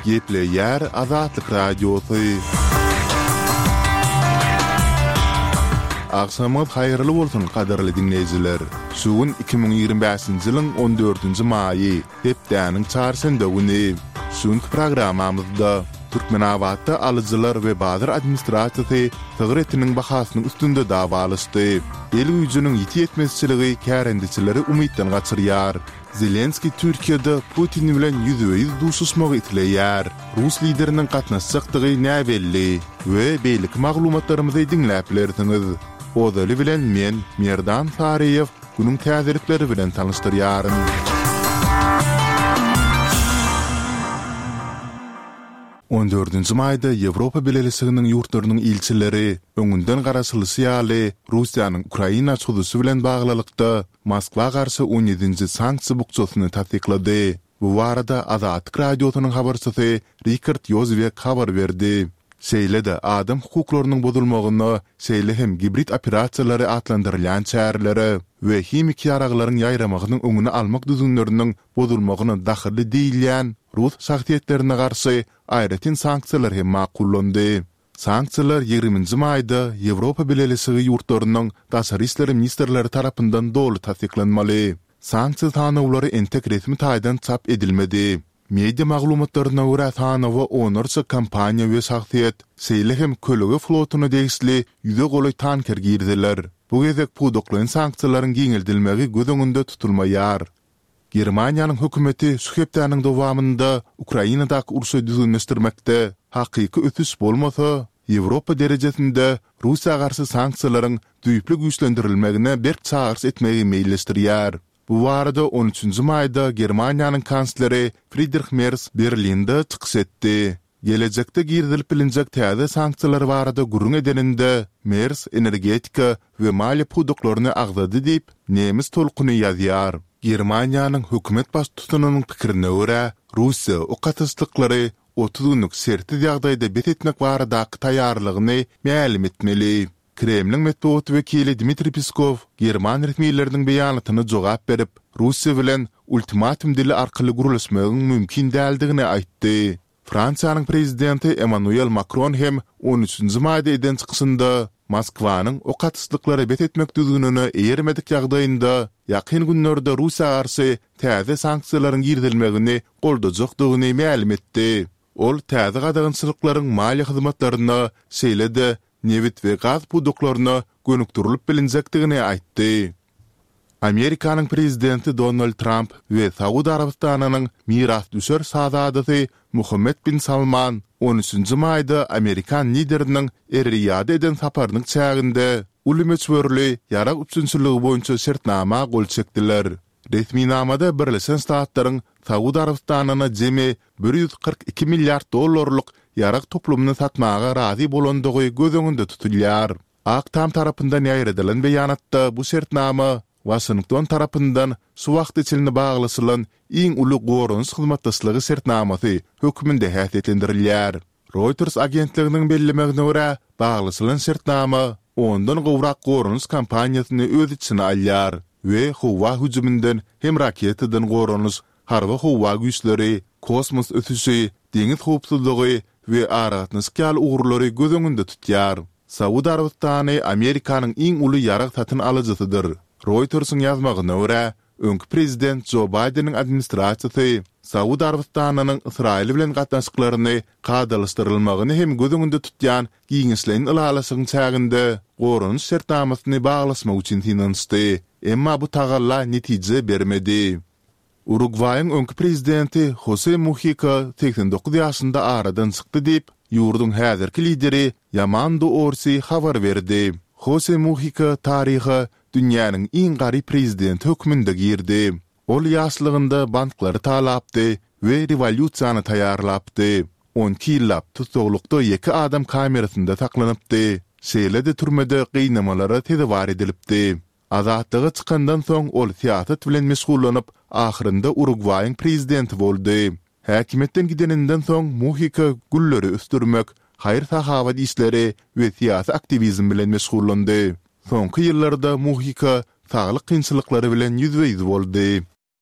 Gepleýär Azatlyk Radiosy. Agşamyňyz haýyrly bolsun, gadyrly diňleýjiler! Şu gün 2025-nji ýylyň on dördünji maýy, hepdäniň çarşenbe güni. Şu günki programmamyzda Türkmenabatda alyjylar we bazar administrasiýasy sygyr etiniň bahasynyň üstünde dawalaşdy. El güýjüniň ýiti ýetmezçiligi kärendeçileri umytdan gaçyrýar. Zelenskiý Türkiýede Putin bilen ýüzbe-ýüz duşuşmagy isleýär. Rus lideriniň gatnaşjakdygy näbelli we beýleki maglumatlarymyzy diňläp bilersiňiz. Ozaly bilen men, Merdan Saryýew, günüň täzelikleri bilen tanyşdyrýaryn. On dördünji maýda Ýewropa Bileleşiginiň ýurtlarynyň ilçileri, öňünden garaşylyşy ýaly, Russiýanyň Ukraina çozuşy bilen baglylykda, Moskwa garşy on ýedinji sanksiýa bukjasyny tassyklady. Bu barada Azatlyk Radiosynyň habarçysy Rikard Ýozwiak habar berdi. Şeýle-de adam hukuklarynyň bozulmagyna, şeýle hem gibrid operasiýalary atlandyrylýan çärelere we himiki ýaraglaryň ýaýramagynyň öňüni almak düzgünleriniň bozulmagyna dahylly diýilýän rus şahsyýetlerine garşy aýratyn sanksiýalar hem makullandy. Sanksiýalar ýigriminji maýda Ýewropa Bileleşigi ýurtlarynyň daşary işler ministrleri tarapyndan doly tassyklanmaly. Sanksiýa sanawlary entek resmi taýdan çap edilmedi. Media maglumatlaryna görä sanawa onlarça kompaniýa we şahsyýet, şeýle hem kölege flotuna degişli ýüze golaý tanker giriziler. Bu gezek pudaklaýyn sanksiýalaryň giňeldilmegi göz öňünde tutulmaýar. Germaniýanyň hökümeti şu hepdäniň dowamynda Ukrainadaky urşy düzgünleşdirmekde hakyky ösüş bolmasa, Ýewropa derejesinde Russiýa garşy sanksiýalaryň düýpli güýçlendirilmegine berk çagyryş etmegi meýilleşdirýär. Bu barada on üçünji maýda Germaniýanyň kansleri Fridrih Mers Berlinde çykyş etdi. Gelejekde girizilip bilinjek täze sanksiýalar barada gürrüň edeninde, Mers energetika we maliýe pudaklaryny agzady diýip, Nemes tolkuny ýazýar. Germaniýanyň hökümet baştutanynyň pikirine görä, Russiýa ok atyşlyklary 30 günlük şertsiz ýagdaýda bes etmek baradaky taýýarlygyny mälim etmeli. Kremliň metbugat wekili Dmitriý Peskow german resmileriniň beýanatyna jogap berip, Russiýa bilen ultimatum dili arkaly gürleşmegiň mümkin däldigini aýtdy. Fransiýanyň prezidenti Emmanuel Makron hem on üçünji maýda eden çykyşynda Moskwanyň ok atyşlyklary bes etmek düzgünine eýermedik ýagdaýynda ýakyn günlerde Russiýa garşy täze sanksiýalaryň girizilmegini goldajakdygyny mälim etdi. Ol täze gadagançylyklaryň maliýe hyzmatlaryna, şeýle-de nebit we gaz pudaklaryna gönükdirilip bilinjekdigini aýtdy. Amerikanyň prezidenti Donald Tramp we Saud Arabystanynyň mirasdüşer şazadasy Muhammed bin Salman on üçünji maýda amerikan lideriniň Er-Riýada eden saparynyň çäginde uly möçberli ýarag üpjünçiligi boýunça şertnama gol çekdiler. Resminamada Birleşen Ştatlaryň Saud Arabystanyna jemi 142 milliard dollarlyk ýarag toplumyny satmaga razy bolandygy göz öňünde tutulýar. Ak Tam tarapyndan ýaýradylan beýanatda bu şertnama Waşington tarapyndan şu wagta çenli baglaşylan iň uly goranyş hyzmatdaşlygy şertnamasy hökmünde häsiýetlendirilýär. Reuters agentliginiň bellemegine görä, baglaşylan şertnama ondan gowrak goranyş kompaniýasyny öz içine alýar we howa hüjüminden hem raketadan goranyş, harby-howa güýçleri, kosmos ösüşi, deňiz howpsuzlygy we aragatnaşyk ýaly ugurlary göz öňünde tutýar. Saud Arabystany Amerikanyň iň uly ýarag satyn alyjysydyr. Reutersiň ýazmagyna görä, öňki prezident Jo Baýdeniň administrasiýasy Saud Arabystanynyň Ysraýyl bilen gatnaşyklaryny kadalaşdyrylmagyny hem göz öňünde tutýan giňişleýin ylalaşygyň çäginde goranyş şertnamasyny baglaşmak üçin synanyşdy, emma bu tagalla netije bermedi. Urugwaýyň öňki prezidenti Hose Muhika 89 ýaşynda aradan çykdy diýip, ýurduň häzirki lideri Ýamando Orsi habar berdi. Hose Muhika taryha dünýäniň iň garyp prezidenti hökmünde girdi. Ol ýaşlygynda banklary talapdy we rewolýusiýany taýýarlapdy. 12 ýyllap tussaglykda ýeke adam kamerasynda saklanypdy, şeýle-de türmede gynamalara sezewar edilipdi. Azatlyga çykandan soň ol syýasat bilen meşgullanyp, ahyrynda Urugwaýyň prezidenti boldy. Häkimiýetden gideninden soň Muhika gülleri ösdürmek, haýyr-sahawat işleri we syýasy aktiwizm bilen meşgullandy. Soňky ýyllarda Muhika saglyk kynçylyklary bilen ýüzbe-ýüz boldy.